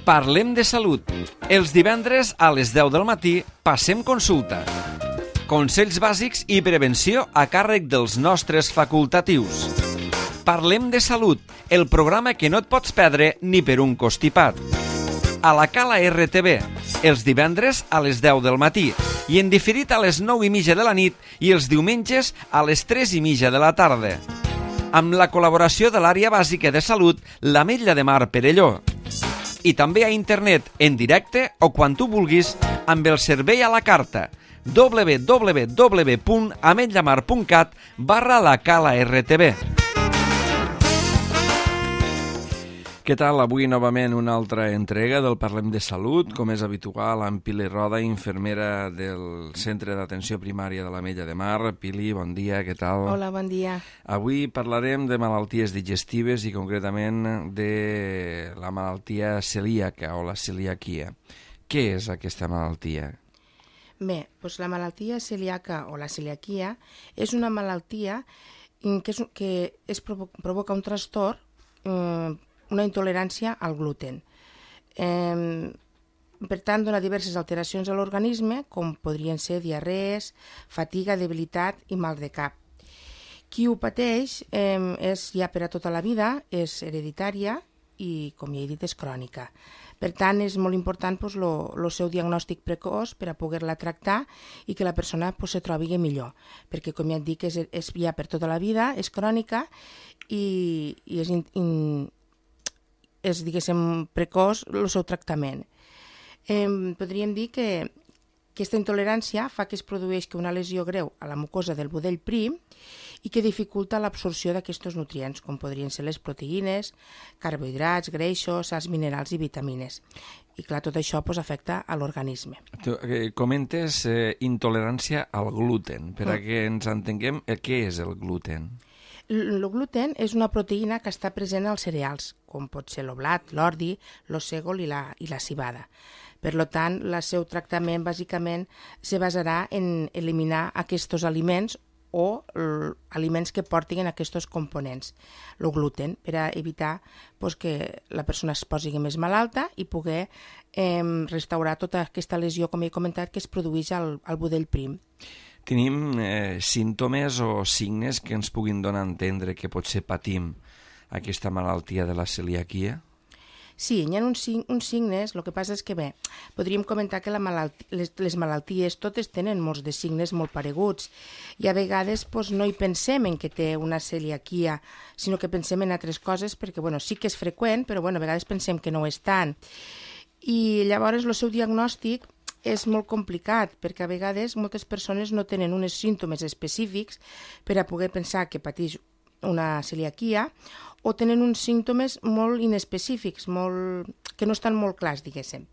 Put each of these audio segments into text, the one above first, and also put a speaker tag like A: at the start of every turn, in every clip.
A: Parlem de salut. Els divendres a les 10 del matí passem consulta. Consells bàsics i prevenció a càrrec dels nostres facultatius. Parlem de salut, el programa que no et pots perdre ni per un costipat. A la Cala RTV, els divendres a les 10 del matí i en diferit a les 9:30 de la nit i els diumenges a les 3:30 de la tarda. Amb la col·laboració de l'àrea bàsica de salut, l'Ametlla de Mar Perelló. I també a internet, en directe o quan tu vulguis, amb el servei a la carta www.ametllamar.cat/la Cala RTV. Què tal? Avui novament una altra entrega del Parlem de Salut, com és habitual, amb Pili Roda, infermera del Centre d'Atenció Primària de l'Ametlla de Mar. Pili, bon dia, què tal?
B: Hola, bon dia.
A: Avui parlarem de malalties digestives i concretament de la malaltia celíaca o la celiaquia. Què és aquesta malaltia?
B: Bé, doncs la malaltia celíaca o la celiaquia és una malaltia que provoca un trastorn, una intolerància al gluten. Per tant, dona diverses alteracions a l'organisme, com podrien ser diarrees, fatiga, debilitat i mal de cap. Qui ho pateix és ja per a tota la vida, és hereditària i, com ja he dit, és crònica. Per tant, és molt important el seu diagnòstic precoç per a poder-la tractar i que la persona se trobi millor, perquè, com ja et dic, és ja per tota la vida, és crònica i és, diguéssim, precoç el seu tractament. Podríem dir que aquesta intolerància fa que es produeixi una lesió greu a la mucosa del budell prim i que dificulta l'absorció d'aquests nutrients, com podrien ser les proteïnes, carbohidrats, greixos, sals minerals i vitamines. I clar, tot això afecta a l'organisme.
A: Comentes intolerància al gluten. Per a que ens entenguem, què és el gluten?
B: El gluten és una proteïna que està present als cereals, com pot ser el blat, l'ordi, el sègol i la cibada. Per tant, el seu tractament bàsicament se basarà en eliminar aquests aliments o aliments que portin aquests components, el gluten, per a evitar que la persona es posi més malalta i poder restaurar tota aquesta lesió, com he comentat, que es produeix al budell prim.
A: Tenim símptomes o signes que ens puguin donar a entendre que potser patim aquesta malaltia de la celiaquia?
B: Sí, hi ha uns signes, el que passa és que, bé, podríem comentar que les malalties totes tenen molts de signes molt pareguts i a vegades no hi pensem en que té una celiaquia, sinó que pensem en altres coses perquè, sí que és freqüent, però a vegades pensem que no ho és tant. I llavors el seu diagnòstic és molt complicat, perquè a vegades moltes persones no tenen uns símptomes específics per a poder pensar que pateix una celiaquia o tenen uns símptomes molt inespecífics, que no estan molt clars, diguéssim.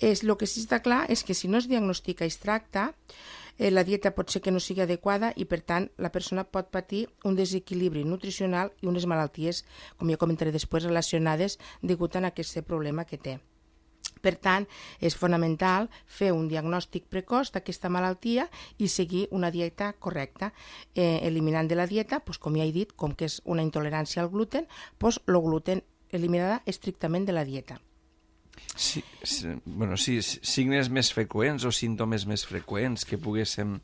B: El que sí està clar és que si no es diagnostica i es tracta, la dieta pot ser que no sigui adequada i, per tant, la persona pot patir un desequilibri nutricional i unes malalties, com ja comentaré després, relacionades degut a aquest problema que té. Per tant, és fonamental fer un diagnòstic precoç d'aquesta malaltia i seguir una dieta correcta, eliminant de la dieta, com ja he dit, com que és una intolerància al gluten, el gluten eliminarà estrictament de la dieta.
A: Sí, signes més freqüents o símptomes més freqüents que poguéssim...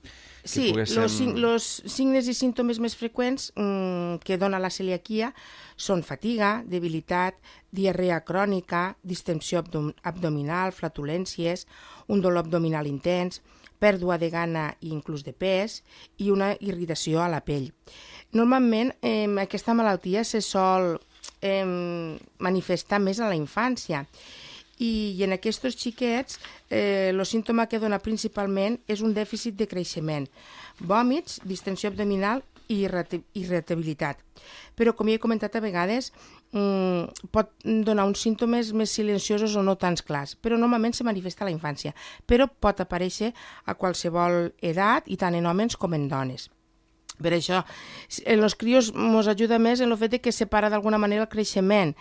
B: Sí, els signes i símptomes més freqüents que dona la celiaquia són fatiga, debilitat, diarrea crònica, distensió abdominal, flatulències, un dolor abdominal intens, pèrdua de gana i inclús de pes i una irritació a la pell. Normalment aquesta malaltia se sol manifestar més a la infància i en aquests xiquets el símptoma que dona principalment és un dèficit de creixement, vòmits, distensió abdominal i irritabilitat. Però, com ja he comentat a vegades, pot donar uns símptomes més silenciosos o no tan clars, però normalment se manifesta a la infància, però pot aparèixer a qualsevol edat i tant en homes com en dones. Per això, en els crios ens ajuda més en el fet que separa d'alguna manera el creixement.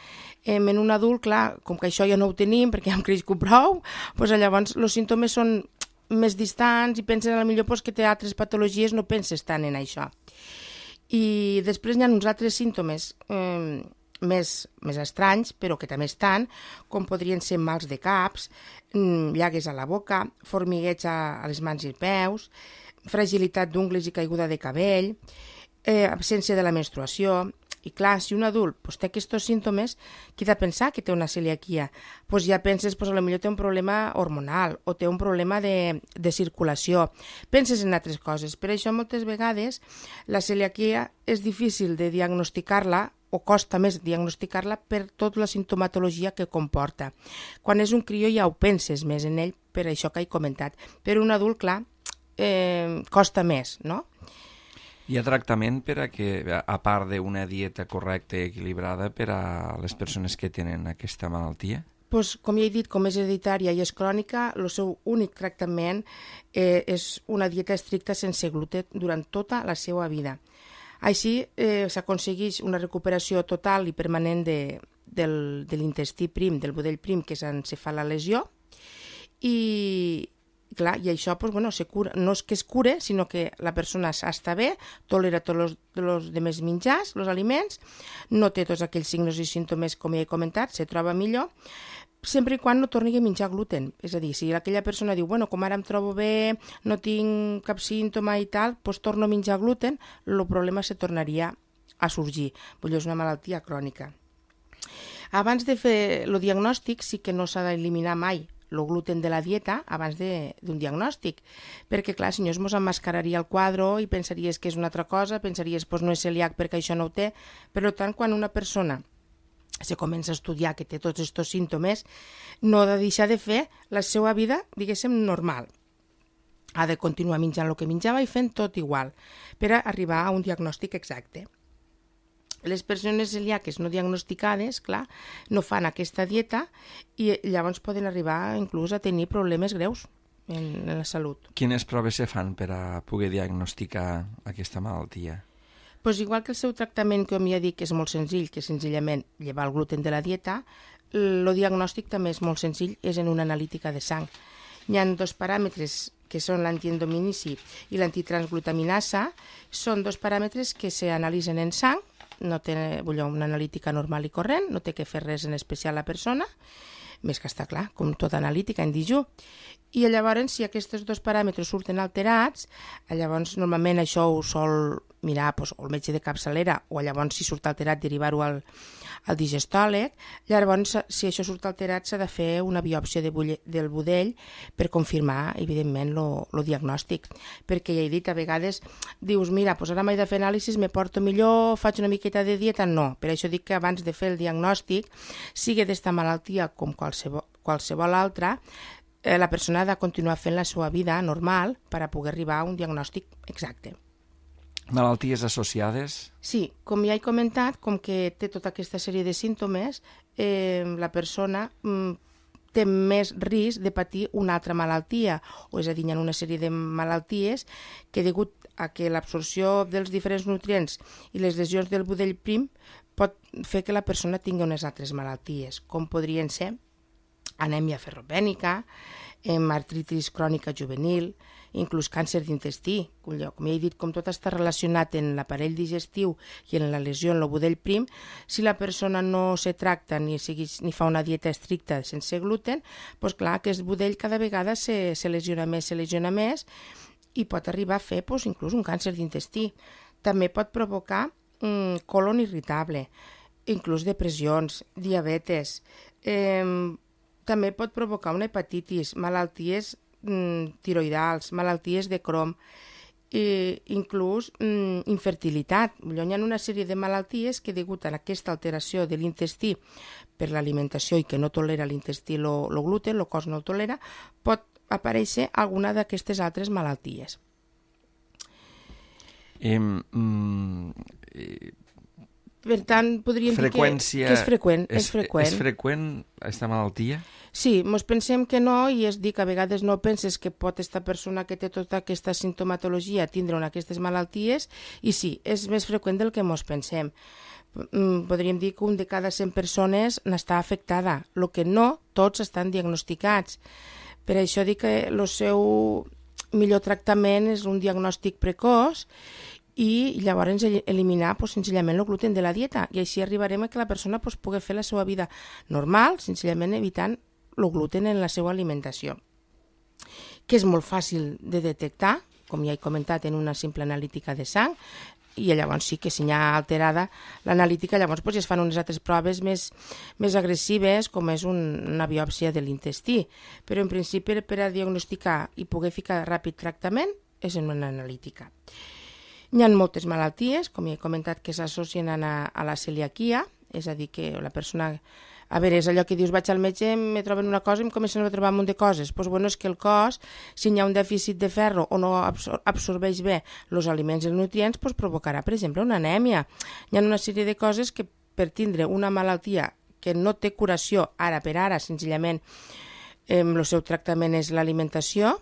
B: En un adult, clar, com que això ja no ho tenim perquè ja hem crescut prou, llavors els símptomes són més distants i pensen potser que té altres patologies, no penses tant en això. I després hi ha uns altres símptomes més estranys, però que també estan, com podrien ser mals de caps, llagues a la boca, formigueig a les mans i peus, fragilitat d'ungles i caiguda de cabell, absència de la menstruació. I clar, si un adult té aquests símptomes, qui ha de pensar que té una celiaquia? Ja penses, potser té un problema hormonal o té un problema de circulació. Penses en altres coses. Per això moltes vegades la celiaquia és difícil de diagnosticar-la o costa més diagnosticar-la per tota la sintomatologia que comporta. Quan és un crió ja ho penses més en ell, per això que he comentat. Per un adult, clar, costa més, no?
A: Hi ha tractament per a que, a part d'una dieta correcta i equilibrada per a les persones que tenen aquesta malaltia?
B: Com ja he dit, com és hereditària i és crònica, el seu únic tractament és una dieta estricta sense gluten durant tota la seva vida. Així s'aconsegueix una recuperació total i permanent de l'intestí prim, del budell prim, que és on se fa la lesió, i això se cura, no és que es cure, sinó que la persona està bé, tolera tots els demés menjars, els aliments, no té tots aquells signes i símptomes com ja he comentat, se troba millor, sempre i quan no torni a menjar gluten. És a dir, si aquella persona diu, com ara em trobo bé, no tinc cap símptoma i tal, doncs torno a menjar gluten, el problema se tornaria a sorgir. És una malaltia crònica. Abans de fer el diagnòstic, sí que no s'ha d'eliminar mai el gluten de la dieta abans d'un diagnòstic, perquè clar, si no es mos emmascararia el quadre i pensaries que és una altra cosa, pensaries no és celíac perquè això no ho té. Per tant, quan una persona se comença a estudiar que té tots aquests símptomes, no ha de deixar de fer la seva vida, diguéssim, normal. Ha de continuar menjant el que menjava i fent tot igual per arribar a un diagnòstic exacte. Les persones celíaques no diagnosticades, clar, no fan aquesta dieta i llavors poden arribar inclús a tenir problemes greus en la salut.
A: Quines proves se fan per a poder diagnosticar aquesta malaltia?
B: Igual que el seu tractament, com ja dic, és molt senzill, que és senzillament llevar el gluten de la dieta, el diagnòstic també és molt senzill, és en una analítica de sang. Hi ha dos paràmetres que són l'antiendominici i l'antitransglutaminasa, són dos paràmetres que s'analitzen en sang, no té una analítica normal i corrent, no té que fer res en especial la persona, més que està clar, com tota analítica en dijú. I llavors, si aquests dos paràmetres surten alterats, llavors normalment això ho sol mirar el metge de capçalera o llavors si surt alterat derivar-ho al digestòleg. Llavors, si això surt alterat, s'ha de fer una biòpsia del budell per confirmar, evidentment, el diagnòstic. Perquè ja he dit, a vegades dius, mira, ara m'he de fer anàlisis, me porto millor, faig una miqueta de dieta. No, per això dic que abans de fer el diagnòstic, sigui d'esta malaltia com qualsevol altra, la persona ha de continuar fent la seva vida normal per a poder arribar a un diagnòstic exacte.
A: Malalties associades?
B: Sí, com ja he comentat, com que té tota aquesta sèrie de símptomes, la persona té més risc de patir una altra malaltia, o és a dir, hi ha una sèrie de malalties que degut a que l'absorció dels diferents nutrients i les lesions del budell prim pot fer que la persona tingui unes altres malalties, com podrien ser anèmia ferropènica, artritis crònica juvenil, inclús càncer d'intestí. Com ja he dit, com tot està relacionat en l'aparell digestiu i en la lesió en el budell prim, si la persona no se tracta ni fa una dieta estricta sense gluten, doncs clar, aquest budell cada vegada se lesiona més i pot arribar a fer inclús un càncer d'intestí. També pot provocar colon irritable, inclús depressions, diabetes, també pot provocar una hepatitis, malalties tiroidals, malalties de Crohn, inclús infertilitat. Hi ha una sèrie de malalties que, degut a aquesta alteració de l'intestí per l'alimentació i que no tolera l'intestí el gluten, el cos no el tolera, pot aparèixer alguna d'aquestes altres malalties. Per tant, podríem dir que és freqüent. És
A: freqüent aquesta malaltia?
B: Sí, ens pensem que no, i és dir que a vegades no penses que pot aquesta persona que té tota aquesta sintomatologia tindre aquestes malalties, i sí, és més freqüent del que ens pensem. Podríem dir que un de cada 100 persones n'està afectada, el que no tots estan diagnosticats. Per això dic que el seu millor tractament és un diagnòstic precoç i llavors eliminar senzillament el gluten de la dieta, i així arribarem a que la persona pugui fer la seva vida normal, senzillament evitant el gluten en la seva alimentació, que és molt fàcil de detectar, com ja he comentat, en una simple analítica de sang, i llavors sí que si n'hi ha alterada l'analítica, llavors ja es fan unes altres proves més agressives, com és una biòpsia de l'intestí, però en principi per a diagnosticar i poder ficar ràpid tractament és en una analítica. Hi ha moltes malalties, com ja he comentat, que s'associen a la celiaquia, és a dir, que la persona... A veure, és allò que dius, vaig al metge, me troben una cosa i em comencen a trobar un munt de coses. Doncs bueno, és que el cos, si hi ha un dèficit de ferro o no absorbeix bé els aliments i els nutrients, doncs provocarà, per exemple, una anèmia. Hi ha una sèrie de coses que per tindre una malaltia que no té curació ara per ara, senzillament el seu tractament és l'alimentació,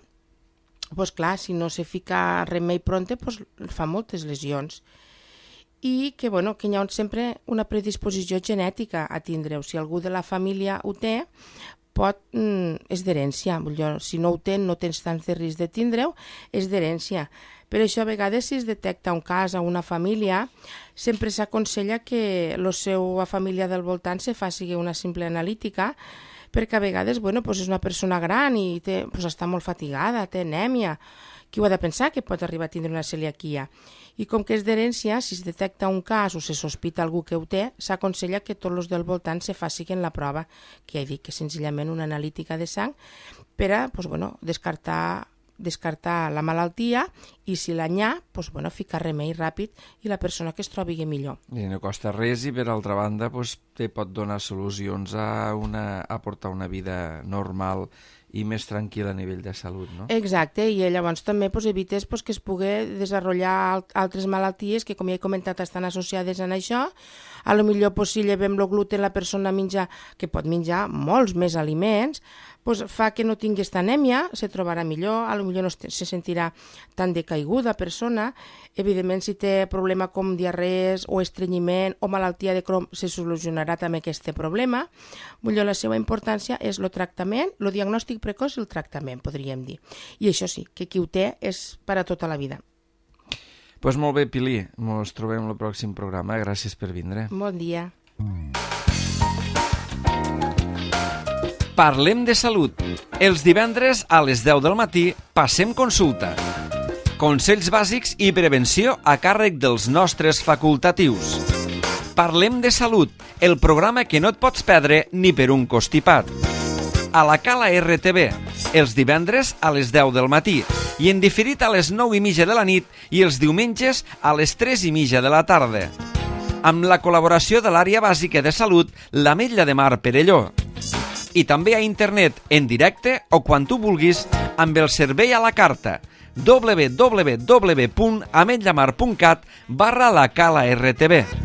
B: doncs clar, si no se fica remei pronte, doncs fa moltes lesions. I que, bueno, que hi ha sempre una predisposició genètica a tindre-ho. Si algú de la família ho té, és d'herència. Si no ho té, no tens tants de risc de tindre-ho, és d'herència. Per això, a vegades, si es detecta un cas a una família, sempre s'aconsella que la seva família del voltant se faci una simple analítica, perquè a vegades és una persona gran i està molt fatigada, té anèmia. Qui ho ha de pensar que pot arribar a tindre una celiaquia? I com que és d'herència, si es detecta un cas o se sospita algú que ho té, s'aconsella que tots els del voltant se facin la prova, que ja he dit que senzillament una analítica de sang, per a descartar la malaltia i si l'hi ha, ficar remei ràpid i la persona que es trobi millor.
A: I no costa res i per altra banda te pot donar solucions a portar una vida normal i més tranquil·la a nivell de salut, no?
B: Exacte, i llavors també evites que es pugui desenvolupar altres malalties que, com ja he comentat, estan associades a això. A lo millor, si llevem el gluten, la persona que pot menjar molts més aliments, fa que no tingui aquesta anèmia, se trobarà millor, a lo millor no se sentirà tan decaiguda persona. Evidentment, si té problema com diarrees o estrenyiment o malaltia de Crohn, se solucionarà també aquest problema. La seva importància és el tractament, el diagnòstic precoç i el tractament, podríem dir. I això sí, que qui ho té és per a tota la vida.
A: Doncs molt bé, Pili, ens trobem al pròxim programa. Gràcies per vindre.
B: Bon dia.
A: Parlem de salut. Els divendres a les 10 del matí passem consulta. Consells bàsics i prevenció a càrrec dels nostres facultatius. Parlem de salut, el programa que no et pots perdre ni per un costipat. A la Cala RTV, els divendres a les 10 del matí i en diferit a les 9:30 de la nit i els diumenges a les 3:30 de la tarda. Amb la col·laboració de l'àrea bàsica de salut, l'Ametlla de Mar Perelló. I també a internet, en directe o quan tu vulguis, amb el servei a la carta www.ametllamar.cat/la Cala RTV.